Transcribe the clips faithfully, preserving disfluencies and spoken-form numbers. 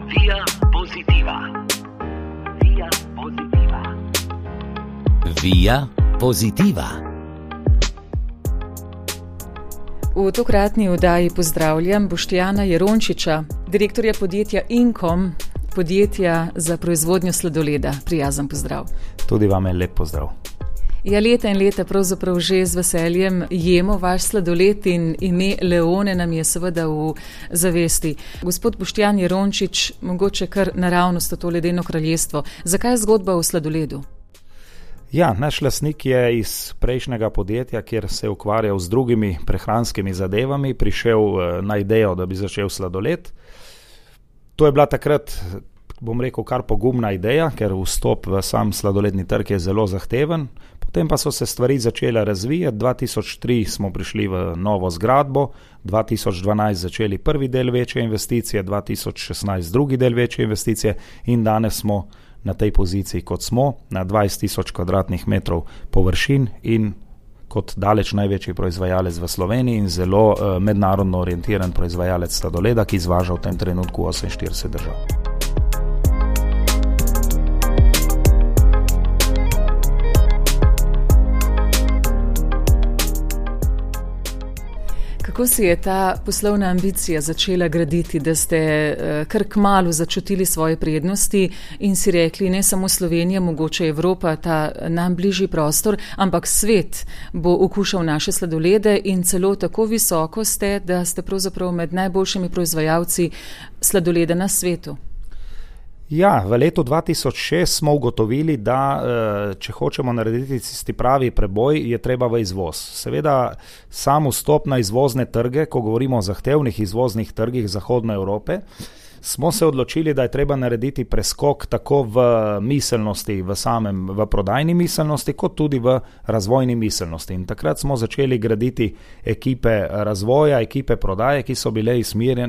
Via Positiva. Via Positiva. Via Positiva. V tokratni oddaji pozdravljam Boštjana Jerončiča, direktorja podjetja Inkom, podjetja za proizvodnjo sladoleda. Prijazen pozdrav. Tudi vam je lep pozdrav. Ja, leta in leta pravzaprav že z veseljem jemo vaš sladoled in ime Leone nam je seveda v zavesti. Gospod Boštjan Jerončič, mogoče kar naravnost v to ledeno kraljestvo. Zakaj je zgodba o sladoledu? Ja, naš lastnik je iz prejšnjega podjetja, kjer se je ukvarjal z drugimi prehranskimi zadevami, prišel na idejo, da bi začel sladoled. To je bila takrat, bom rekel, kar pogumna ideja, ker vstop v sam sladoledni trg je zelo zahteven. Potem pa so se stvari začele razvijati. dva tisoč tri smo prišli v novo zgradbo, dva tisoč dvanajst začeli prvi del večje investicije, dva tisoč šestnajst drugi del večje investicije in danes smo na tej poziciji, kot smo, na dvajset tisoč kvadratnih metrov površin in kot daleč največji proizvajalec v Sloveniji in zelo uh, mednarodno orientiran proizvajalec sladoleda, ki izvaža v tem trenutku oseminštirideset držav. Kako si je ta poslovna ambicija začela graditi, da ste kar kmalu začutili svoje prednosti in si rekli, ne samo Slovenija, mogoče Evropa, ta nam bližji prostor, ampak svet bo okušal naše sladolede in celo tako visoko ste, da ste pravzaprav med najboljšimi proizvajalci sladoleda na svetu? Ja, v letu dva tisoč šest smo ugotovili, da če hočemo narediti tisti pravi preboj, je treba v izvoz. Seveda sam vstop na izvozne trge, ko govorimo o zahtevnih izvoznih trgih Zahodne Evrope, smo se odločili, da je treba narediti preskok tako v miselnosti, v samem, v prodajni miselnosti, kot tudi v razvojni miselnosti. In takrat smo začeli graditi ekipe razvoja, ekipe prodaje, ki so bile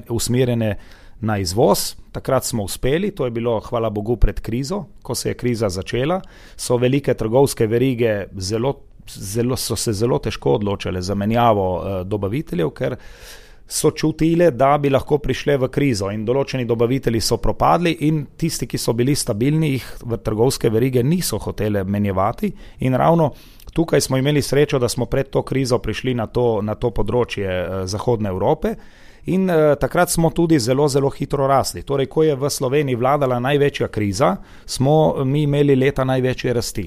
usmerjene na izvoz. Takrat smo uspeli, to je bilo, hvala Bogu, pred krizo. Ko se je kriza začela, so velike trgovske verige zelo, zelo, so se zelo težko odločile za menjavo eh, dobaviteljev, ker so čutile, da bi lahko prišle v krizo in določeni dobavitelji so propadli in tisti, ki so bili stabilni, jih v trgovske verige niso hotele menjevati in ravno tukaj smo imeli srečo, da smo pred to krizo prišli na to, na to področje eh, Zahodne Evrope. In eh, takrat smo tudi zelo, zelo hitro rasli. Torej, ko je v Sloveniji vladala največja kriza, smo mi imeli leta največje rasti.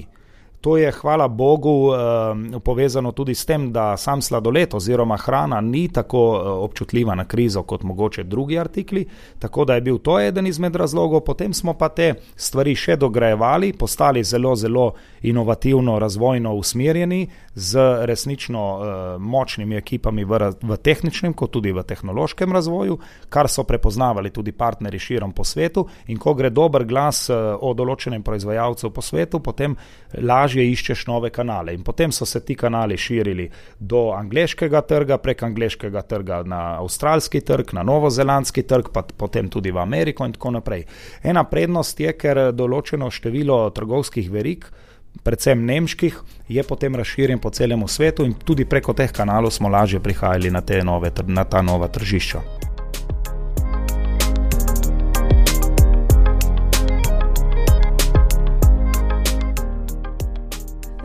To je, hvala Bogu, eh, povezano tudi s tem, da sam sladoled oziroma hrana ni tako eh, občutljiva na krizo kot mogoče drugi artikli, tako da je bil to eden izmed razlogov. Potem smo pa te stvari še dograjevali, postali zelo, zelo inovativno, razvojno usmerjeni z resnično eh, močnimi ekipami v, v tehničnem, kot tudi v tehnološkem razvoju, kar so prepoznavali tudi partnerji širom po svetu in ko gre dober glas eh, o določenem proizvajalcu po svetu, potem lažje iščeš nove kanale. In potem so se ti kanali širili do angleškega trga, prek angleškega trga na avstralski trg, na novozelandski trg, pa potem tudi v Ameriko in tako naprej. Ena prednost je, ker določeno število trgovskih verig, predvsem nemških, je potem razširjen po celemu svetu in tudi preko teh kanalov smo lažje prihajali na, te nove, na ta nova tržišča.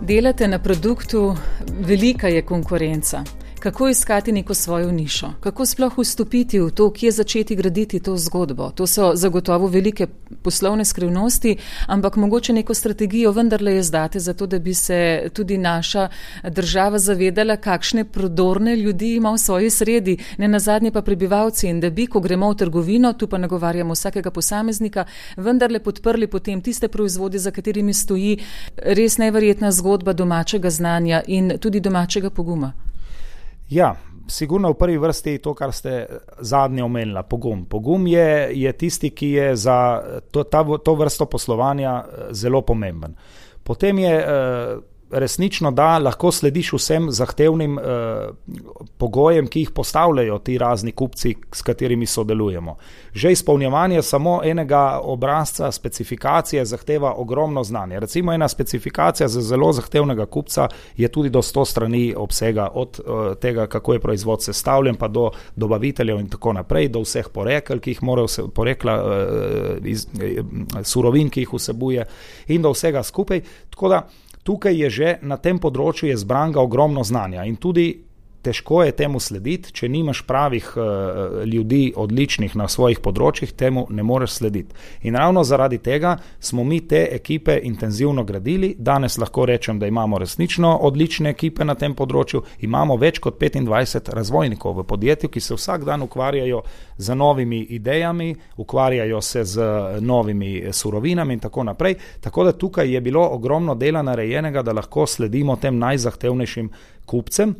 Delate na produktu, velika je konkurenca. Kako iskati neko svojo nišo? Kako sploh vstopiti v to, kje začeti graditi to zgodbo? To so zagotovo velike poslovne skrivnosti, ampak mogoče neko strategijo vendarle je zdate za to, da bi se tudi naša država zavedala, kakšne prodorne ljudi ima v svoji sredi, ne nazadnje pa prebivalci in da bi, ko gremo v trgovino, tu pa nagovarjamo vsakega posameznika, vendarle podprli potem tiste proizvode, za katerimi stoji res neverjetna zgodba domačega znanja in tudi domačega poguma. Ja, sigurno v prvi vrsti to, kar ste zadnje omenila, pogum. Pogum je, je tisti, ki je za to, ta, to vrsto poslovanja zelo pomemben. Potem je, resnično, da lahko slediš vsem zahtevnim eh, pogojem, ki jih postavljajo ti razni kupci, s katerimi sodelujemo. Že izpolnjevanje samo enega obrazca specifikacije zahteva ogromno znanje. Recimo ena specifikacija za zelo zahtevnega kupca je tudi do sto strani obsega, od eh, tega, kako je proizvod sestavljen, pa do dobaviteljev in tako naprej, do vseh porekel, ki jih morajo se, porekla eh, iz, eh, surovin, ki jih vsebuje in do vsega skupaj. Tako da tukaj je že na tem področju je zbranega ogromno znanja in tudi težko je temu slediti, če nimaš pravih uh, ljudi odličnih na svojih področjih, temu ne moreš slediti. In ravno zaradi tega smo mi te ekipe intenzivno gradili. Danes lahko rečem, da imamo resnično odlične ekipe na tem področju. Imamo več kot petindvajset razvojnikov v podjetju, ki se vsak dan ukvarjajo z novimi idejami, ukvarjajo se z novimi surovinami in tako naprej. Tako da tukaj je bilo ogromno dela narejenega, da lahko sledimo tem najzahtevnejšim kupcem.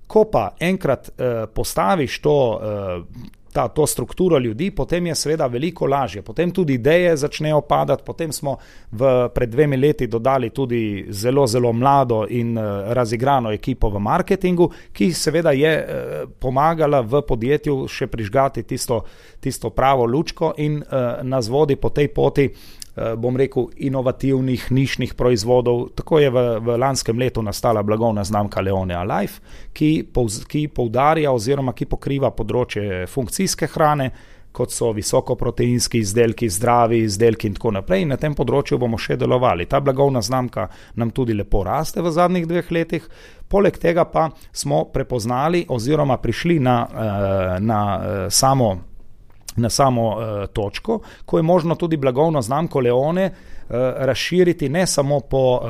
Ko pa enkrat eh, postaviš to, eh, ta, to strukturo ljudi, potem je seveda veliko lažje. Potem tudi ideje začnejo padati, potem smo v, pred dvemi leti dodali tudi zelo, zelo mlado in eh, razigrano ekipo v marketingu, ki seveda je eh, pomagala v podjetju še prižgati tisto, tisto pravo lučko in eh, nas vodi po tej poti, bom rekel, inovativnih, nišnih proizvodov. Tako je v, v lanskem letu nastala blagovna znamka Leone Alive, ki, povz, ki poudarja oziroma ki pokriva področje funkcijske hrane, kot so visokoproteinski izdelki, zdravi izdelki in tako naprej. In na tem področju bomo še delovali. Ta blagovna znamka nam tudi lepo raste v zadnjih dveh letih. Poleg tega pa smo prepoznali oziroma prišli na, na samo na samo uh, točko, ko je možno tudi blagovno znamko Leone uh, razširiti ne samo po, uh,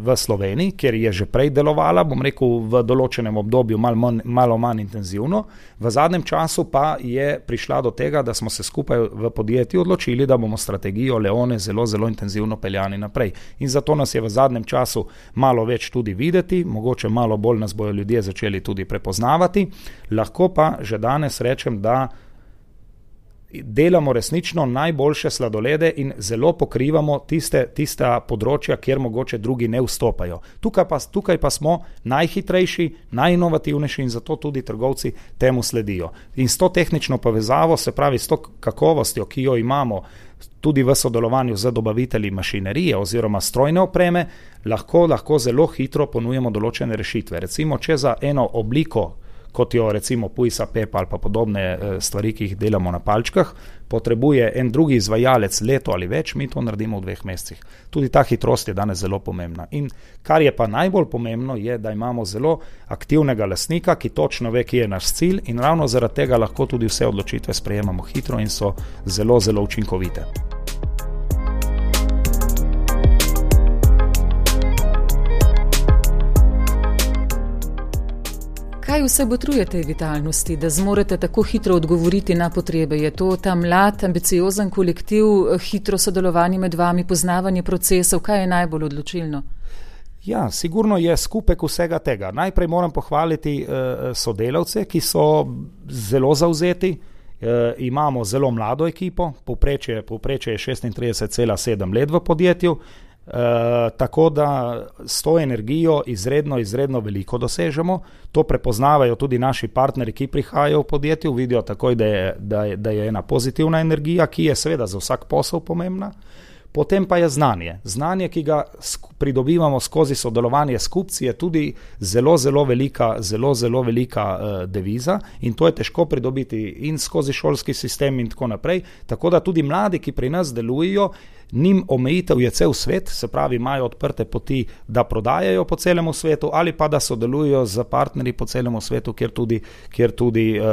v Sloveniji, kjer je že prej delovala, bom rekel, v določenem obdobju mal manj, malo manj intenzivno. V zadnjem času pa je prišla do tega, da smo se skupaj v podjetju odločili, da bomo strategijo Leone zelo, zelo intenzivno peljani naprej. In zato nas je v zadnjem času malo več tudi videti, mogoče malo bolj nas bojo ljudje začeli tudi prepoznavati. Lahko pa že danes rečem, da delamo resnično najboljše sladolede in zelo pokrivamo tiste, tista področja, kjer mogoče drugi ne vstopajo. Tukaj pa, tukaj pa smo najhitrejši, najinovativnejši in zato tudi trgovci temu sledijo. In s to tehnično povezavo, se pravi s to kakovostjo, ki jo imamo tudi v sodelovanju z dobavitelji mašinerije oziroma strojne opreme, lahko, lahko zelo hitro ponujemo določene rešitve. Recimo, če za eno obliko, kot jo recimo Pujsa Pepa ali pa podobne stvari, ki jih delamo na palčkah, potrebuje en drugi izvajalec leto ali več, mi to naredimo v dveh mesecih. Tudi ta hitrost je danes zelo pomembna. In kar je pa najbolj pomembno, je, da imamo zelo aktivnega lastnika, ki točno ve, kje je naš cilj in ravno zaradi tega lahko tudi vse odločitve sprejemamo hitro in so zelo, zelo učinkovite. Kaj vse botruje tej vitalnosti, da zmorete tako hitro odgovoriti na potrebe? Je to ta mlad, ambiciozen kolektiv, hitro sodelovanje med vami, poznavanje procesov? Kaj je najbolj odločilno? Ja, sigurno je skupek vsega tega. Najprej moram pohvaliti eh, sodelavce, ki so zelo zavzeti. Eh, imamo zelo mlado ekipo, povprečje, povprečje je šestintrideset cela sedem let v podjetju. Uh, tako da s to energijo izredno, izredno veliko dosežemo. To prepoznavajo tudi naši partneri, ki prihajajo v podjetju, vidijo takoj, da je, da je, da je ena pozitivna energija, ki je seveda za vsak posel pomembna. Potem pa je znanje. Znanje, ki ga pridobivamo skozi sodelovanje s kupci, je tudi zelo, zelo velika, zelo, zelo velika uh, deviza in to je težko pridobiti in skozi šolski sistem in tako naprej. Tako da tudi mladi, ki pri nas delujejo, njim omejitev je cel svet, se pravi, imajo odprte poti, da prodajajo po celemu svetu ali pa da sodelujo z partnerji po celemu svetu, kjer tudi, kjer tudi uh,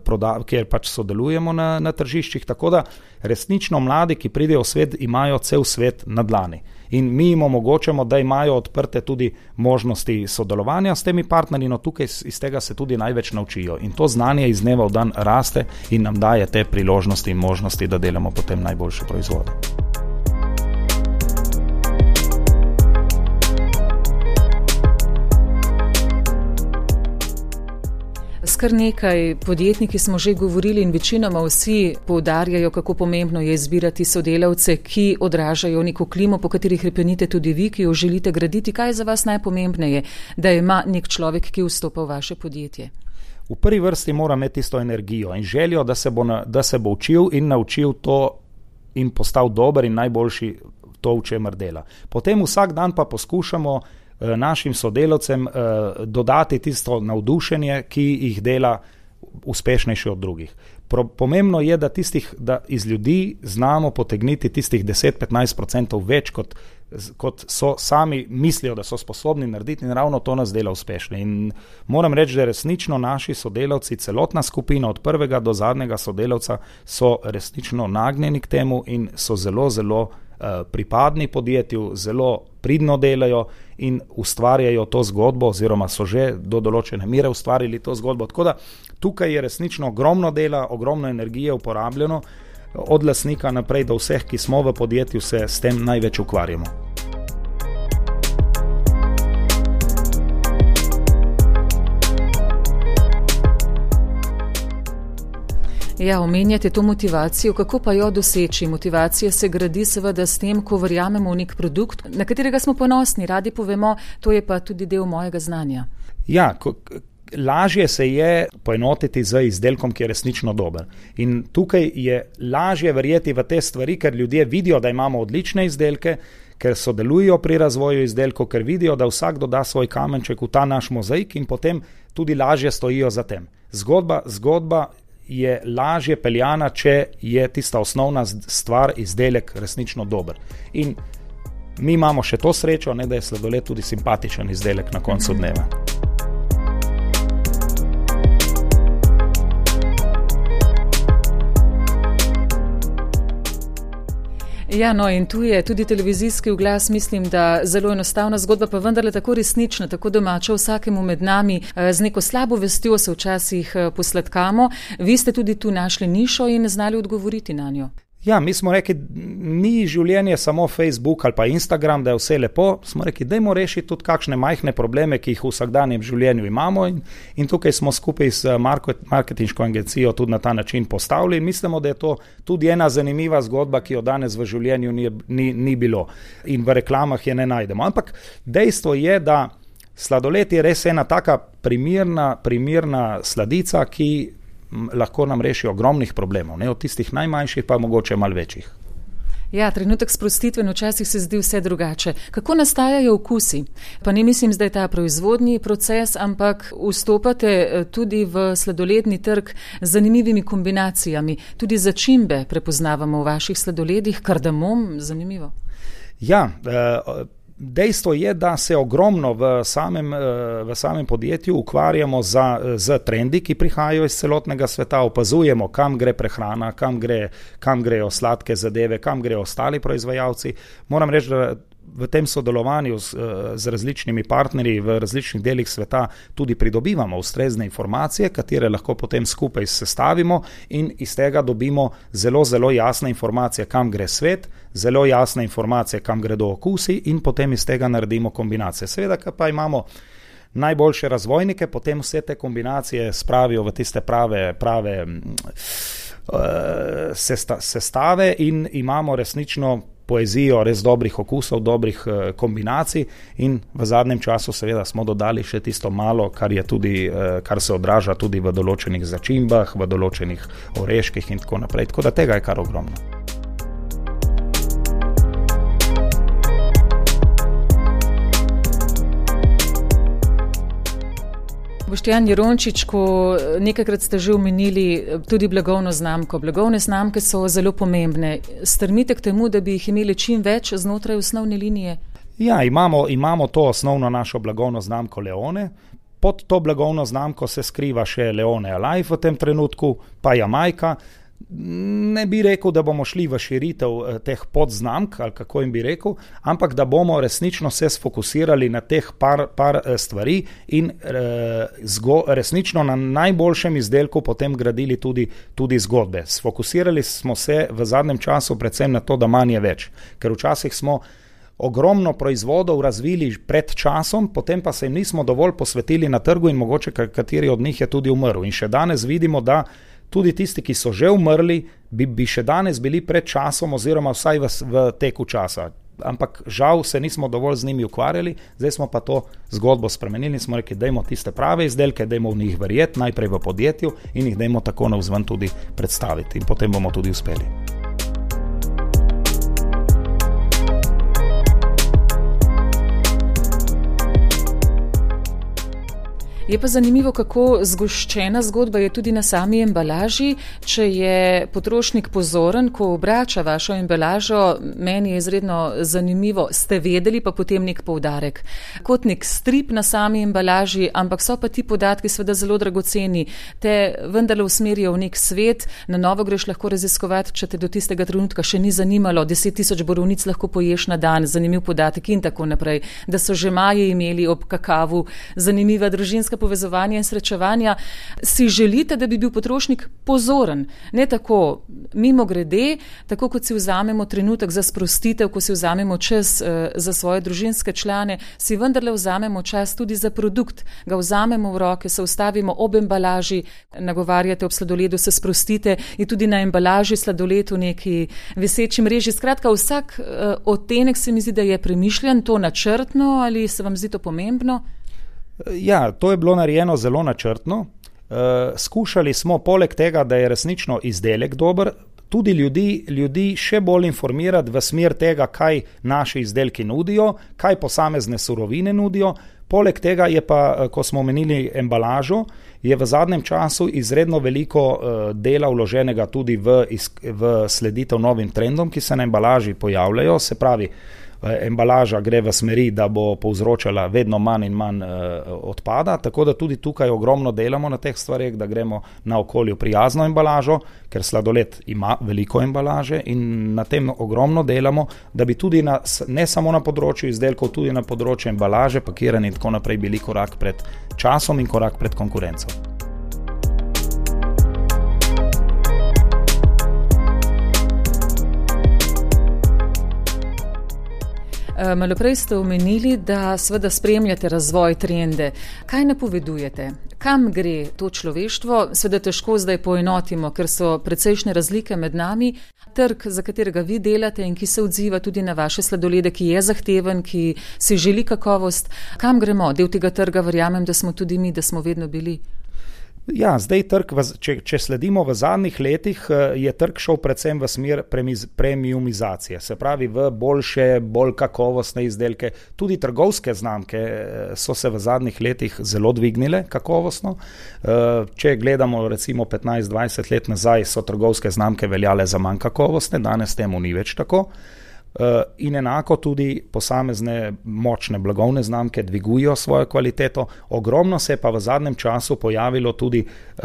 proda, kjer pač sodelujemo na, na tržiščih. Tako da resnično mladi, ki pridejo v svet, imajo cel svet na dlani. In mi jim omogočamo, da imajo odprte tudi možnosti sodelovanja s temi partnerji, no tukaj iz tega se tudi največ naučijo. In to znanje iz dneva v dan raste in nam daje te priložnosti in možnosti, da delamo potem najboljše proizvode. S kar nekaj podjetniki smo že govorili in večinoma vsi poudarjajo, kako pomembno je izbirati sodelavce, ki odražajo neko klimo, po kateri hrepenite tudi vi, ki jo želite graditi. Kaj je za vas najpomembneje, da ima nek človek, ki vstopa v vaše podjetje? V prvi vrsti mora imeti tisto energijo in željo, da se bo, na, da se bo učil in naučil to in postal dober in najboljši to, v čemer dela. Potem vsak dan pa poskušamo eh, našim sodelavcem eh, dodati tisto navdušenje, ki jih dela uspešnejši od drugih. Pro, pomembno je, da, tistih, da iz ljudi znamo potegniti tistih deset do petnajst odstotkov več, kot, kot so sami mislijo, da so sposobni narediti, in ravno to nas dela uspešne. In moram reči, da resnično naši sodelavci, celotna skupina od prvega do zadnjega sodelavca so resnično nagnjeni k temu in so zelo, zelo uh, pripadni podjetju, zelo pridno delajo in ustvarjajo to zgodbo, oziroma so že do določene mere ustvarili to zgodbo. Tako da tukaj je resnično ogromno dela, ogromno energije uporabljeno, od lastnika naprej do vseh, ki smo v podjetju, se s tem največ ukvarjamo. Ja, omenjate to motivacijo, kako pa jo doseči? Motivacija se gradi seveda s tem, ko verjamemo v nek produkt, na katerega smo ponosni, radi povemo, to je pa tudi del mojega znanja. Ja, ko, lažje se je poenotiti z izdelkom, ki je resnično dober. In tukaj je lažje verjeti v te stvari, ker ljudje vidijo, da imamo odlične izdelke, ker sodelujo pri razvoju izdelkov, ker vidijo, da vsak doda svoj kamenček v ta naš mozaik in potem tudi lažje stojijo za tem. Zgodba, zgodba je lažje peljana, če je tista osnovna stvar, izdelek resnično dober. In mi imamo še to srečo, ne, da je sladoled tudi simpatičen izdelek na koncu dneva. Ja, no in tu je tudi televizijski oglas, mislim, da zelo enostavna zgodba, pa vendarle tako resnična, tako domača vsakemu med nami. Z neko slabo vestjo se včasih posladkamo. Vi ste tudi tu našli nišo in znali odgovoriti na njo. Ja, mi smo rekli, ni življenje samo Facebook ali pa Instagram, da je vse lepo. Smo rekli, dajmo rešiti tudi kakšne majhne probleme, ki jih v vsakdanjem življenju imamo, in, in tukaj smo skupaj s marketinško agencijo tudi na ta način postavili in mislimo, da je to tudi ena zanimiva zgodba, ki jo danes v življenju ni, ni, ni bilo in v reklamah je ne najdemo. Ampak dejstvo je, da sladoled je res ena taka primirna, primirna sladica, ki lahko nam reši ogromnih problemov, ne, od tistih najmanjših pa mogoče malo večjih. Ja, trenutek sprostitve, včasih se zdi vse drugače. Kako nastajajo okusi? Pa ne mislim zdaj ta proizvodni proces, ampak vstopate tudi v sladoledni trg z zanimivimi kombinacijami. Tudi začimbe prepoznavamo v vaših sladoledih, kardamom, zanimivo. Ja, uh, dejstvo je, da se ogromno v samem, v samem podjetju ukvarjamo za, z trendi, ki prihajajo iz celotnega sveta, opazujemo, kam gre prehrana, kam, gre, kam grejo sladke zadeve, kam grejo ostali proizvajalci. Moram reči, da v tem sodelovanju z, z različnimi partnerji v različnih delih sveta tudi pridobivamo ustrezne informacije, katere lahko potem skupaj sestavimo in iz tega dobimo zelo, zelo jasne informacije, kam gre svet, zelo jasne informacije, kam gredo okusi in potem iz tega naredimo kombinacije. Seveda, pa imamo najboljše razvojnike, potem vse te kombinacije spravijo v tiste prave, prave uh, sesta, sestave in imamo resnično poezijo res dobrih okusov, dobrih uh, kombinacij in v zadnjem času seveda smo dodali še tisto malo, kar je tudi, uh, kar se odraža tudi v določenih začimbah, v določenih oreških in tako naprej. Tako da tega je kar ogromno. Boštjan Jerončič, ko nekajkrat ste že omenili tudi blagovno znamko. Blagovne znamke so zelo pomembne. Strmite k temu, da bi jih imeli čim več znotraj osnovne linije? Ja, imamo, imamo to osnovno našo blagovno znamko Leone. Pod to blagovno znamko se skriva še Leone Alive v tem trenutku, pa Jamajka. Ne bi rekel, da bomo šli v širitev teh podznamk, ali kako jim bi rekel, ampak da bomo resnično se sfokusirali na teh par, par stvari in e, zgo, resnično na najboljšem izdelku potem gradili tudi, tudi zgodbe. Sfokusirali smo se v zadnjem času predvsem na to, da manj je več, ker včasih smo ogromno proizvodov razvili pred časom, potem pa se jim nismo dovolj posvetili na trgu in mogoče kateri od njih je tudi umrl. In še danes vidimo, da tudi tisti, ki so že umrli, bi, bi še danes bili pred časom oziroma vsaj v, v teku časa. Ampak žal se nismo dovolj z njimi ukvarjali, zdaj smo pa to zgodbo spremenili, smo rekli, dajmo tiste prave izdelke, dajmo v njih verjeti, najprej v podjetju in jih dajmo tako navzven tudi predstaviti in potem bomo tudi uspeli. Je pa zanimivo, kako zgoščena zgodba je tudi na sami embalaži. Če je potrošnik pozoren, ko obrača vašo embalažo, meni je izredno zanimivo, ste vedeli, pa potem nek poudarek. Kot nek strip na sami embalaži, ampak so pa ti podatki seveda zelo dragoceni. Te vendarle usmerijo v nek svet, na novo greš lahko raziskovati, če te do tistega trenutka še ni zanimalo, deset tisoč borovnic lahko poješ na dan, zanimiv podatek in tako naprej. Da so že Maji imeli ob kakavu zanimiva družinska povezovanja in srečevanja. Si želite, da bi bil potrošnik pozoren, ne tako mimo grede, tako kot si vzamemo trenutek za sprostitev, ko si vzamemo čas uh, za svoje družinske člane, si vendarle vzamemo čas tudi za produkt, ga vzamemo v roke, se ustavimo ob embalaži, nagovarjate ob sladoledu, se sprostite in tudi na embalaži sladoled v neki viseči mreži. Skratka, vsak uh, odtenek se mi zdi, da je premišljen, to načrtno ali se vam zdi to pomembno? Ja, to je bilo narejeno zelo načrtno. Uh, skušali smo poleg tega, da je resnično izdelek dober, tudi ljudi, ljudi še bolj informirati v smer tega, kaj naši izdelki nudijo, kaj posamezne surovine nudijo. Poleg tega je pa, ko smo omenili embalažo, je v zadnjem času izredno veliko uh, dela vloženega tudi v, v sleditev novim trendom, ki se na embalaži pojavljajo, se pravi, embalaža gre v smeri, da bo povzročala vedno manj in manj uh, odpada, tako da tudi tukaj ogromno delamo na teh stvareh, da gremo na okolju prijazno embalažo, ker sladoled ima veliko embalaže in na tem ogromno delamo, da bi tudi na, ne samo na področju izdelkov, tudi na področju embalaže, pakiranja in tako naprej bili korak pred časom in korak pred konkurenco. Malo prej ste omenili, da seveda spremljate razvoj trende. Kaj napovedujete? Kam gre to človeštvo? Seveda težko zdaj poenotimo, ker so precejšnje razlike med nami. Trg, za katerega vi delate in ki se odziva tudi na vaše sladolede, ki je zahteven, ki si želi kakovost. Kam gremo? Del tega trga verjamem, da smo tudi mi, da smo vedno bili. Ja, zdaj trg, če, če sledimo v zadnjih letih, je trg šel predvsem v smer premiumizacije, se pravi v boljše, bolj kakovostne izdelke. Tudi trgovske znamke so se v zadnjih letih zelo dvignile kakovostno. Če gledamo recimo petnajst dvajset let nazaj, so trgovske znamke veljale za manj kakovostne, danes temu ni več tako. In enako tudi posamezne močne blagovne znamke dvigujejo svojo kvaliteto. Ogromno se je pa v zadnjem času pojavilo tudi uh,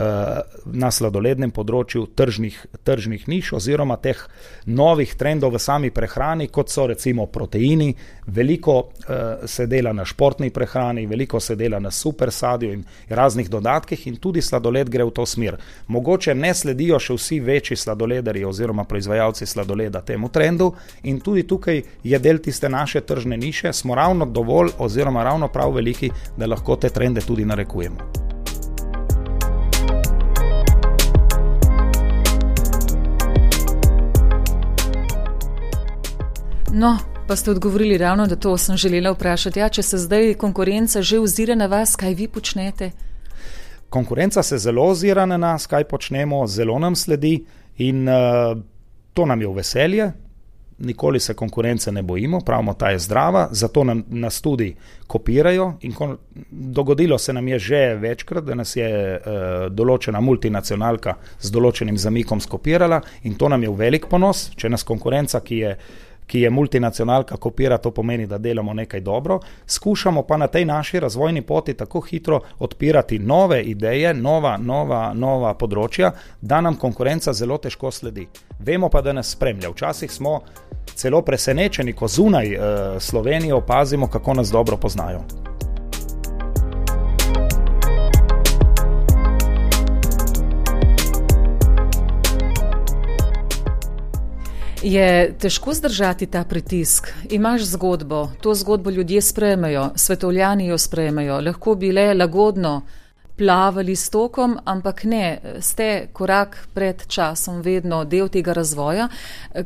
na sladolednem področju tržnih, tržnih niš oziroma teh novih trendov v sami prehrani, kot so recimo proteini. Veliko uh, se dela na športni prehrani, veliko se dela na super sadju in raznih dodatkih in tudi sladoled gre v to smer. Mogoče ne sledijo še vsi večji sladoledarji oziroma proizvajalci sladoleda temu trendu in tudi Tudi tukaj je del tiste naše tržne niše, smo ravno dovolj oziroma ravno prav veliki, da lahko te trende tudi narekujemo. No, pa ste odgovorili ravno, da to sem želela vprašati. Ja, če se zdaj konkurenca že ozira na vas, kaj vi počnete? Konkurenca se zelo ozira na nas, kaj počnemo, zelo nam sledi in uh, to nam je v veselje. Nikoli se konkurence ne bojimo, pravimo, ta je zdrava, zato nam, nas tudi kopirajo in ko, dogodilo se nam je že večkrat, da nas je uh, določena multinacionalka z določenim zamikom skopirala in to nam je v velik ponos, če nas konkurenca, ki je ki je multinacionalka kopira, to pomeni, da delamo nekaj dobro. Skušamo pa na tej naši razvojni poti tako hitro odpirati nove ideje, nova, nova, nova področja, da nam konkurenca zelo težko sledi. Vemo pa, da nas spremlja. Včasih smo celo presenečeni, ko zunaj eh, Slovenije opazimo, kako nas dobro poznajo. Je težko zdržati ta pritisk? Imaš zgodbo, to zgodbo ljudje sprejmejo, svetovljani jo sprejmejo, lahko bi le lagodno plavali s tokom, ampak ne, ste korak pred časom vedno del tega razvoja.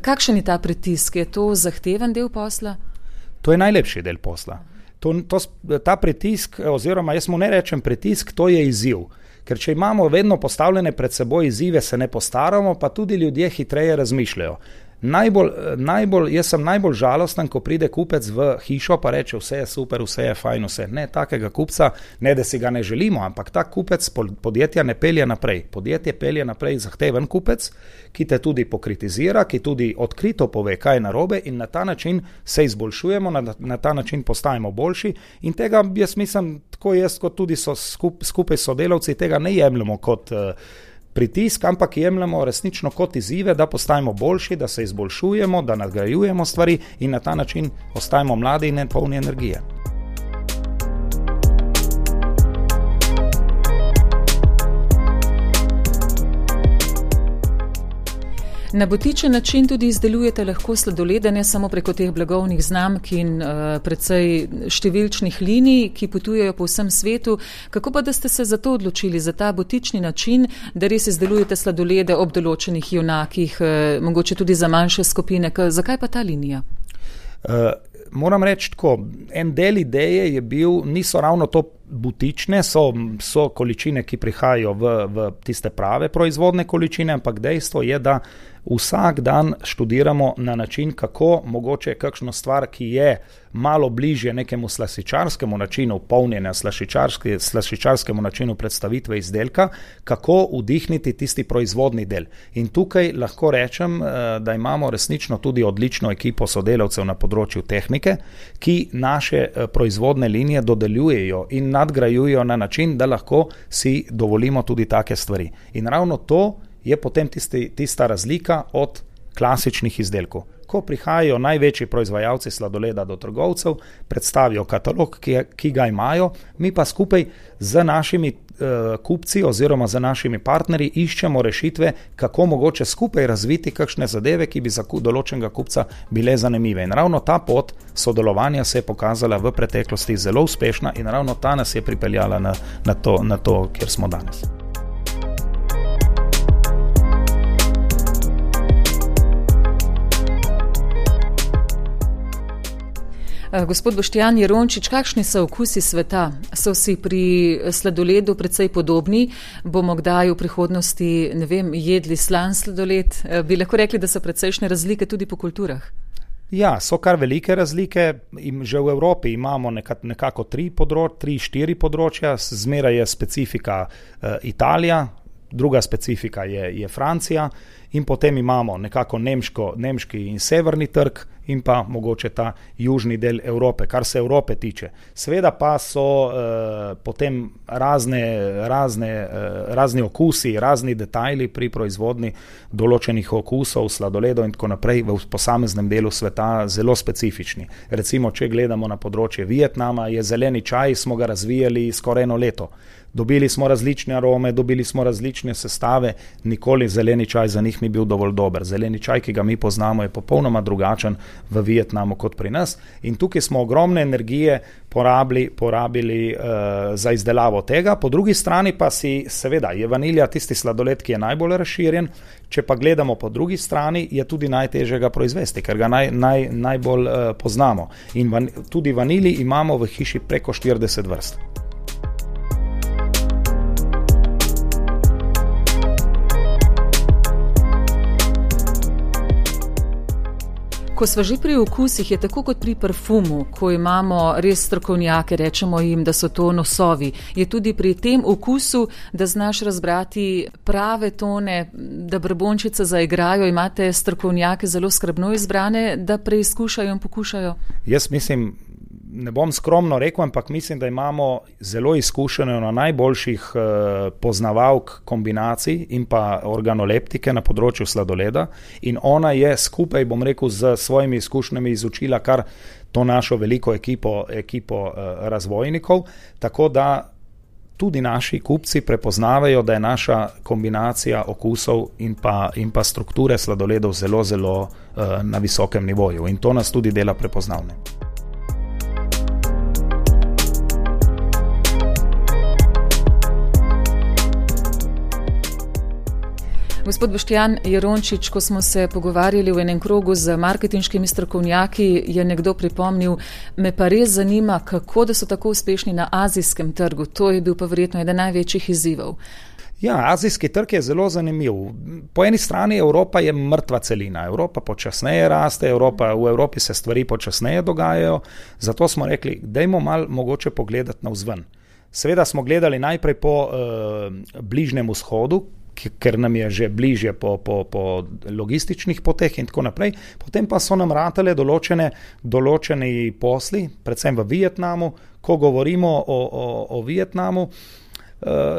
Kakšen je ta pritisk? Je to zahteven del posla? To je najlepši del posla. To, to, ta pritisk, oziroma jaz mu ne rečem pritisk, to je izziv. Ker če imamo vedno postavljene pred seboj izzive, se ne postaramo, pa tudi ljudje hitreje razmišljajo. Najbolj, najbolj, jaz sem najbolj žalosten, ko pride kupec v hišo pa reče, vse je super, vse je fajn, vse. Ne, takega kupca, ne da si ga ne želimo, ampak ta kupec podjetja ne pelje naprej. Podjetje pelje naprej zahteven kupec, ki te tudi pokritizira, ki tudi odkrito pove, kaj je narobe in na ta način se izboljšujemo, na, na ta način postajamo boljši in tega jaz mislim, tako jaz kot tudi so skup, skupaj s sodelavci, tega ne jemljemo kot uh, pritisk, ampak jemljemo resnično kot izzive, da postajamo boljši, da se izboljšujemo, da nadgrajujemo stvari in na ta način ostajamo mladi in polni energije. Na butičen način tudi izdelujete lahko sladolede, ne samo preko teh blagovnih znamk in uh, precej številčnih linij, ki potujejo po vsem svetu. Kako pa da ste se za to odločili, za ta butični način, da res izdelujete sladolede ob določenih junakih, uh, mogoče tudi za manjše skupine? K- zakaj pa ta linija? Uh, moram reči tako, en del ideje je bil, niso ravno to butične, so, so količine, ki prihajajo v, v tiste prave proizvodne količine, ampak dejstvo je, da vsak dan študiramo na način, kako mogoče kakšno stvar, ki je malo bližje nekemu slaščičarskemu načinu polnjenja, slaščičarske, slaščičarskemu načinu predstavitve izdelka, kako vdihniti tisti proizvodni del. In tukaj lahko rečem, da imamo resnično tudi odlično ekipo sodelavcev na področju tehnike, ki naše proizvodne linije dodeljujejo in nadgrajujejo na način, da lahko si dovolimo tudi take stvari. In ravno to je potem tisti, tista razlika od klasičnih izdelkov. Ko prihajajo največji proizvajalci sladoleda do trgovcev, predstavijo katalog, ki, ki ga imajo, mi pa skupaj z našimi uh, kupci oziroma z našimi partnerji iščemo rešitve, kako mogoče skupaj razviti kakšne zadeve, ki bi za določenega kupca bile zanimive. In ravno ta pot sodelovanja se je pokazala v preteklosti zelo uspešna in ravno ta nas je pripeljala na, na, to, na to, kjer smo danes. Gospod Boštjan Jerončič, kakšni so okusi sveta? So si pri sladoledu precej podobni? Bomo kdaj v prihodnosti, ne vem, jedli slan sladoled? Bi lahko rekli, da so precejšnje razlike tudi po kulturah? Ja, so kar velike razlike. Že v Evropi imamo nekako tri, področ, tri štiri področja. Zmeraj je specifika uh, Italija, druga specifika je, je Francija in potem imamo nekako nemško, nemški in severni trg in pa mogoče ta južni del Evrope, kar se Evrope tiče. Seveda pa so uh, potem razne, razne, uh, razni okusi, razni detajli pri proizvodni določenih okusov, sladoledov in tako naprej v posameznem delu sveta zelo specifični. Recimo, če gledamo na področje Vietnama, je zeleni čaj, smo ga razvijali skoraj eno leto. Dobili smo različne arome, dobili smo različne sestave, nikoli zeleni čaj za njih ni bil dovolj dober. Zeleni čaj, ki ga mi poznamo, je popolnoma drugačen v Vietnamu kot pri nas in tukaj smo ogromne energije porabili, porabili uh, za izdelavo tega. Po drugi strani pa si, seveda, je vanilja tisti sladoled, ki je najbolj razširjen, če pa gledamo po drugi strani, je tudi najtežje ga proizvesti, ker ga naj, naj, najbolj uh, poznamo. In van, tudi vanilji imamo v hiši preko štirideset vrst. Ko sva že pri okusih, je tako kot pri parfumu, ko imamo res strokovnjake, rečemo jim, da so to nosovi. Je tudi pri tem okusu, da znaš razbrati prave tone, da brbončice zaigrajo, imate strokovnjake zelo skrbno izbrane, da preizkušajo in pokušajo? Jaz mislim, ne bom skromno rekel, ampak mislim, da imamo zelo izkušene na najboljših eh, poznavalk kombinacij in pa organoleptike na področju sladoleda in ona je skupaj, bom rekel, z svojimi izkušnjami izučila kar to našo veliko ekipo, ekipo eh, razvojnikov, tako da tudi naši kupci prepoznavajo, da je naša kombinacija okusov in pa, in pa strukture sladoledov zelo, zelo uh, na visokem nivoju in to nas tudi dela prepoznavne. Gospod Boštjan Jerončič, ko smo se pogovarjali v enem krogu z marketinškimi strokovnjaki, je nekdo pripomnil, me pa res zanima, kako da so tako uspešni na azijskem trgu. To je bil pa verjetno eden največjih izzivov. Ja, azijski trg je zelo zanimiv. Po eni strani Evropa je mrtva celina. Evropa počasneje raste, Evropa, v Evropi se stvari počasneje dogajajo, zato smo rekli, dajmo malo mogoče pogledati navzven. Seveda smo gledali najprej po uh, Bližnjem vzhodu, ker nam je že bližje po, po, po logističnih poteh in tako naprej. Potem pa so nam ratale določene, določeni posli, predvsem v Vietnamu. Ko govorimo o, o, o Vietnamu,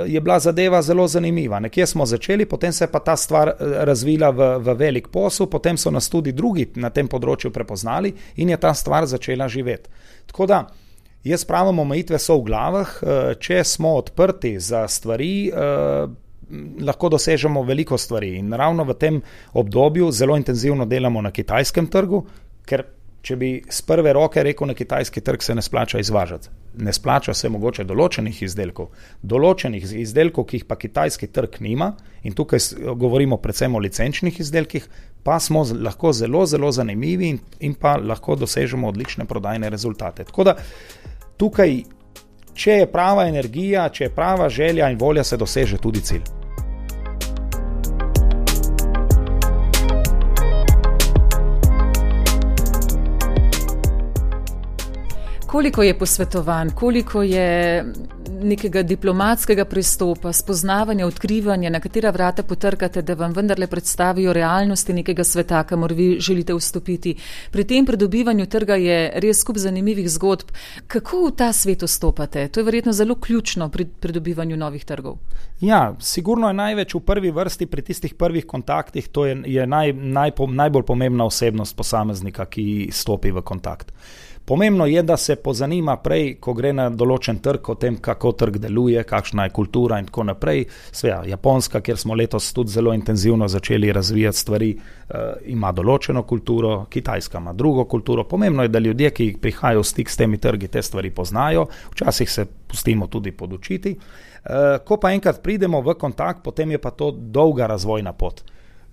je bila zadeva zelo zanimiva. Nekje smo začeli, potem se je pa ta stvar razvila v, v velik posel, potem so nas tudi drugi na tem področju prepoznali in je ta stvar začela živeti. Tako da, jaz pravim, omejitve so v glavah, če smo odprti za stvari, lahko dosežemo veliko stvari in ravno v tem obdobju zelo intenzivno delamo na kitajskem trgu, ker če bi z prve roke rekel, na kitajski trg se ne splača izvažati. Ne splača se mogoče določenih izdelkov. Določenih izdelkov, ki jih pa kitajski trg nima, in tukaj govorimo predvsem o licenčnih izdelkih, pa smo lahko zelo, zelo zanimivi in, in pa lahko dosežemo odlične prodajne rezultate. Tako da tukaj, če je prava energija, če je prava želja in volja, se doseže tudi cilj. Koliko je posvetovanj, koliko je nekega diplomatskega pristopa, spoznavanja, odkrivanja, na katera vrata potrkate, da vam vendarle predstavijo realnosti nekega sveta, kamor vi želite vstopiti. Pri tem pridobivanju trga je res skup zanimivih zgodb. Kako v ta svet vstopate? To je verjetno zelo ključno pri pridobivanju novih trgov. Ja, sigurno je največ v prvi vrsti pri tistih prvih kontaktih, to je, je naj, naj, najbolj pomembna osebnost posameznika, ki stopi v kontakt. Pomembno je, da se pozanima prej, ko gre na določen trg, o tem, kako trg deluje, kakšna je kultura in tako naprej. Sveja, Japonska, kjer smo letos tudi zelo intenzivno začeli razvijati stvari, uh, ima določeno kulturo, Kitajska ima drugo kulturo. Pomembno je, da ljudje, ki prihajajo v stik s temi trgi, te stvari poznajo, včasih se pustimo tudi podučiti. Uh, ko pa enkrat pridemo v kontakt, potem je pa to dolga razvojna pot.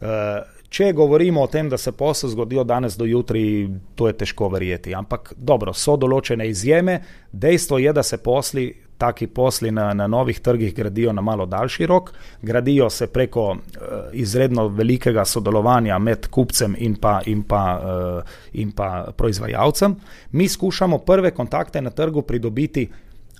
Uh, Če govorimo o tem, da se posel zgodijo danes do jutri, to je težko verjeti. Ampak dobro, so določene izjeme. Dejstvo je, da se posli, taki posli na, na novih trgih gradijo na malo daljši rok. Gradijo se preko uh, izredno velikega sodelovanja med kupcem in pa, in pa, uh, in pa proizvajalcem. Mi skušamo prve kontakte na trgu pridobiti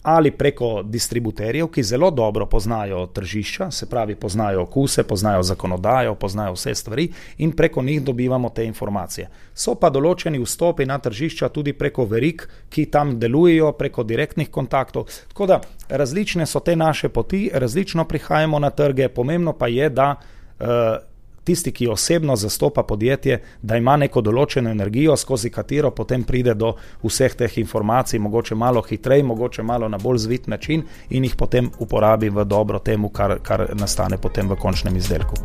ali preko distributerjev, ki zelo dobro poznajo tržišča, se pravi poznajo okuse, poznajo zakonodajo, poznajo vse stvari in preko njih dobivamo te informacije. So pa določeni vstopi na tržišča tudi preko verig, ki tam delujejo, preko direktnih kontaktov. Tako da različne so te naše poti, različno prihajamo na trge, pomembno pa je, da uh, tisti, ki osebno zastopa podjetje, da ima neko določeno energijo, skozi katero potem pride do vseh teh informacij, mogoče malo hitrej, mogoče malo na bolj zvit način in jih potem uporabi v dobro temu, kar, kar nastane potem v končnem izdelku.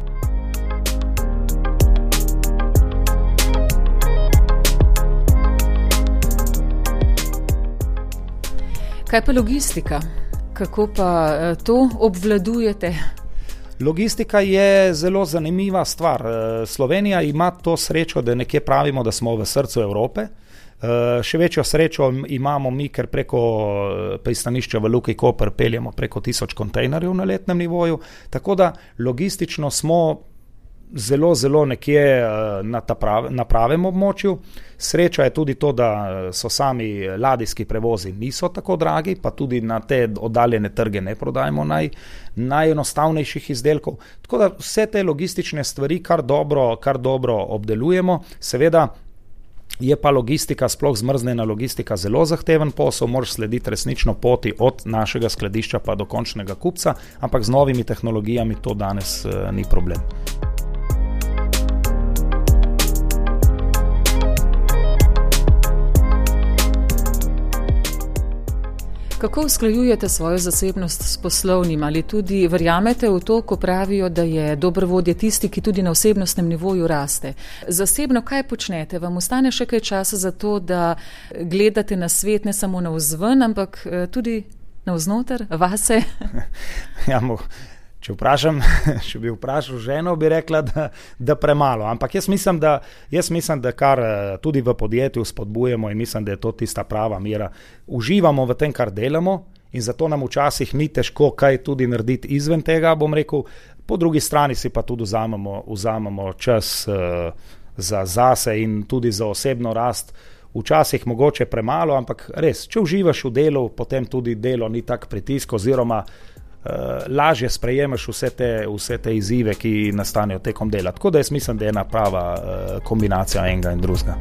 Kaj pa logistika? Kako pa to obvladujete? Logistika je zelo zanimiva stvar. Slovenija ima to srečo, da nekje pravimo, da smo v srcu Evrope. Še večjo srečo imamo mi, ker preko pristanišča v Luki Koper peljemo preko tisoč kontejnerjev na letnem nivoju, tako da logistično smo zelo, zelo nekje na, ta prav, na pravem območju. Sreča je tudi to, da so sami ladijski prevozi niso tako dragi, pa tudi na te oddaljene trge ne prodajemo naj, najenostavnejših izdelkov. Tako da vse te logistične stvari kar dobro, kar dobro obdelujemo. Seveda je pa logistika, sploh zmrznjena logistika, zelo zahteven posel, moraš slediti resnično poti od našega skladišča pa do končnega kupca, ampak z novimi tehnologijami to danes uh, ni problem. Kako usklajujete svojo zasebnost s poslovnim? Ali tudi verjamete v to, ko pravijo, da je dober vodja tisti, ki tudi na osebnostnem nivoju raste? Zasebno kaj počnete? Vam ostane še kaj časa za to, da gledate na svet ne samo navzven, ampak tudi navznoter, vase? Ja, mo, če vprašam, če bi vprašal ženo, bi rekla, da, da premalo. Ampak jaz mislim, da, jaz mislim, da kar tudi v podjetju spodbujamo in mislim, da je to tista prava mera. Uživamo v tem, kar delamo in zato nam včasih ni težko kaj tudi narediti izven tega, bom rekel. Po drugi strani si pa tudi vzamemo, vzamemo čas uh, za zase in tudi za osebno rast. Včasih mogoče premalo, ampak res, če uživaš v delu, potem tudi delo ni tak pritisk oziroma uh, lažje sprejemaš vse te, vse te izzive, ki nastanejo tekom dela. Tako da jaz mislim, da je ena prava uh, kombinacija enega in drugega.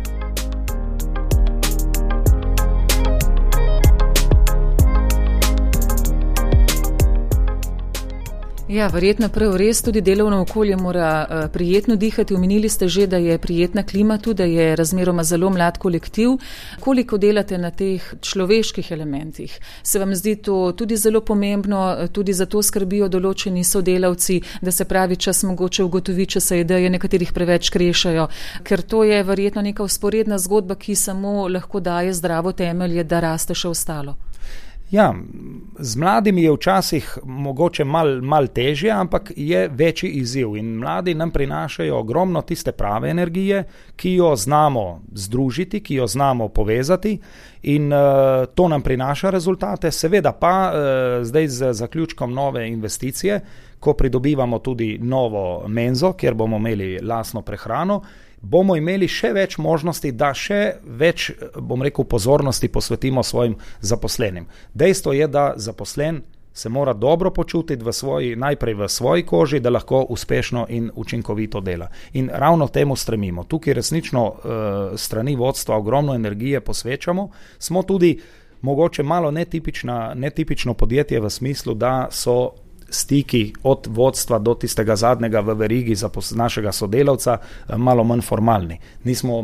Ja, verjetno prav res tudi delovno okolje mora uh, prijetno dihati. Omenili ste že, da je prijetna klima tu, da je razmeroma zelo mlad kolektiv. Koliko delate na teh človeških elementih? Se vam zdi to tudi zelo pomembno, tudi za to skrbijo določeni sodelavci, da se pravi čas mogoče ugotovi, če se ideje nekaterih preveč krešajo, ker to je verjetno neka vzporedna zgodba, ki samo lahko daje zdravo temelje, da raste še ostalo. Ja, z mladimi je včasih mogoče mal, mal težje, ampak je večji izziv in mladi nam prinašajo ogromno tiste prave energije, ki jo znamo združiti, ki jo znamo povezati in uh, to nam prinaša rezultate. Seveda pa uh, zdaj z zaključkom nove investicije, ko pridobivamo tudi novo menzo, kjer bomo imeli lastno prehrano, bomo imeli še več možnosti, da še več, bom rekel, pozornosti posvetimo svojim zaposlenim. Dejstvo je, da zaposlen se mora dobro počutiti v svoji, najprej v svoji koži, da lahko uspešno in učinkovito dela. In ravno temu stremimo. Tukaj resnično uh, strani vodstva ogromno energije posvečamo. Smo tudi mogoče malo netipična, netipično podjetje v smislu, da so stiki od vodstva do tistega zadnjega v verigi za našega sodelavca malo manj formalni. Nismo,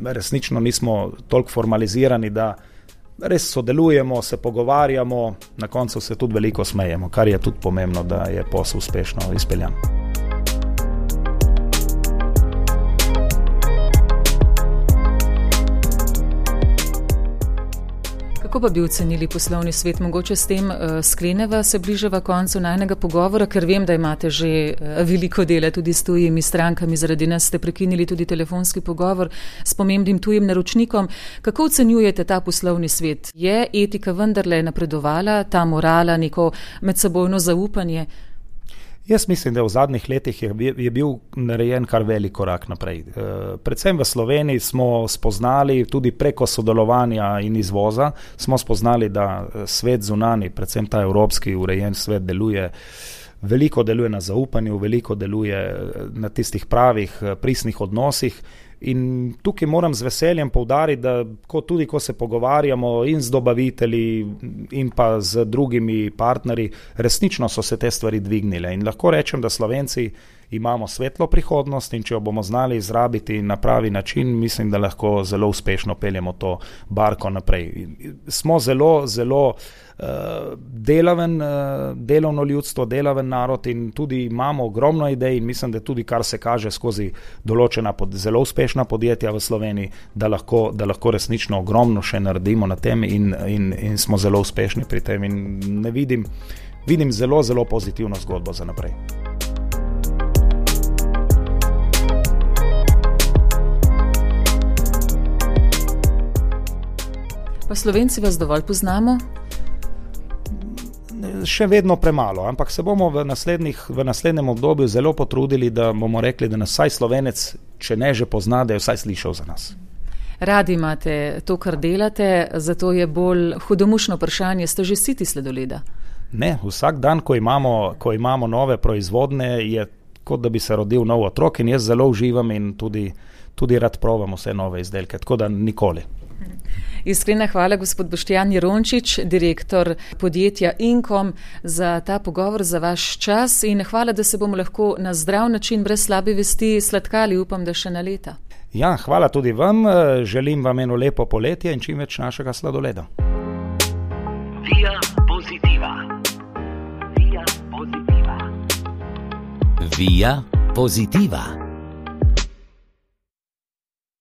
resnično nismo toliko formalizirani, da res sodelujemo, se pogovarjamo, na koncu se tudi veliko smejemo, kar je tudi pomembno, da je posel uspešno izpeljan. Kako pa bi ocenili poslovni svet? Mogoče s tem uh, skleneva se bližava koncu najnega pogovora, ker vem, da imate že uh, veliko dela tudi s tujimi strankami, zaradi nas ste prekinili tudi telefonski pogovor s pomembnim tujim naročnikom. Kako ocenjujete ta poslovni svet? Je etika vendarle napredovala, ta morala, neko medsebojno zaupanje? Jaz mislim, da v zadnjih letih je, je bil narejen kar velik korak naprej. E, predvsem v Sloveniji smo spoznali, tudi preko sodelovanja in izvoza, smo spoznali, da svet zunani, predvsem ta evropski urejen svet deluje, veliko deluje na zaupanju, veliko deluje na tistih pravih, pristnih odnosih. In tukaj moram z veseljem poudariti, da ko, tudi ko se pogovarjamo in z dobavitelji in pa z drugimi partnerji, resnično so se te stvari dvignile. In lahko rečem, da Slovenci imamo svetlo prihodnost in če jo bomo znali izrabiti na pravi način, mislim, da lahko zelo uspešno peljemo to barko naprej. Smo zelo, zelo uh, delaven, uh, delovno ljudstvo, delaven narod in tudi imamo ogromno idej in mislim, da tudi kar se kaže skozi določena pod, zelo uspešna podjetja v Sloveniji, da lahko, da lahko resnično ogromno še naredimo na tem in, in, in smo zelo uspešni pri tem in ne vidim, vidim zelo, zelo pozitivno zgodbo za naprej. Pa Slovenci vas dovolj poznamo? Še vedno premalo, ampak se bomo v, v naslednjem obdobju zelo potrudili, da bomo rekli, da nas vsaj Slovenec, če ne že pozna, da je vsaj slišal za nas. Radi imate to, kar delate, zato je bolj hudomušno vprašanje, ste že siti sladoleda? Ne, vsak dan, ko imamo, ko imamo nove proizvodne, je kot da bi se rodil nov otrok in jaz zelo uživam in tudi, tudi rad provam vse nove izdelke, tako da nikoli. Iskrena hvala, gospod Boštjan Jerončič, direktor podjetja Inkom, za ta pogovor, za vaš čas in hvala, da se bomo lahko na zdrav način, brez slabe vesti, sladkali, upam, da še na leta. Ja, hvala tudi vam, želim vam eno lepo poletje in čim več našega sladoleda. Via Positiva. Via Positiva. Via Positiva.